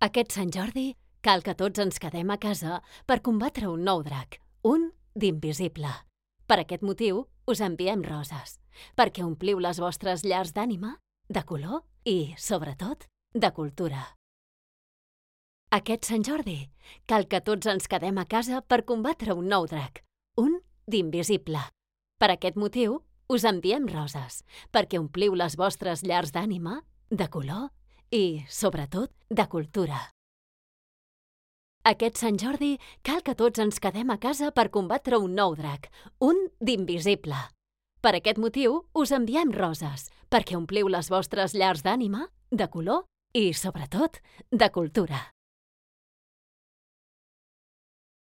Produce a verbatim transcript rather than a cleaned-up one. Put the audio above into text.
Aquest Sant Jordi cal que tots ens quedem a casa per combatre un nou drac, un d'invisible. Per aquest motiu us enviem roses, perquè ompliu les vostres llars d'ànima, de color i, sobretot, de cultura. Aquest Sant Jordi cal que tots ens quedem a casa per combatre un nou drac, un d'invisible. Per aquest motiu us enviem roses, perquè ompliu les vostres llars d'ànima, de color i, sobretot, de cultura. Aquest Sant Jordi cal que tots ens quedem a casa per combatre un nou drac, un d'invisible. Per aquest motiu us enviem roses, perquè ompliu les vostres llars d'ànima, de color i, sobretot, de cultura.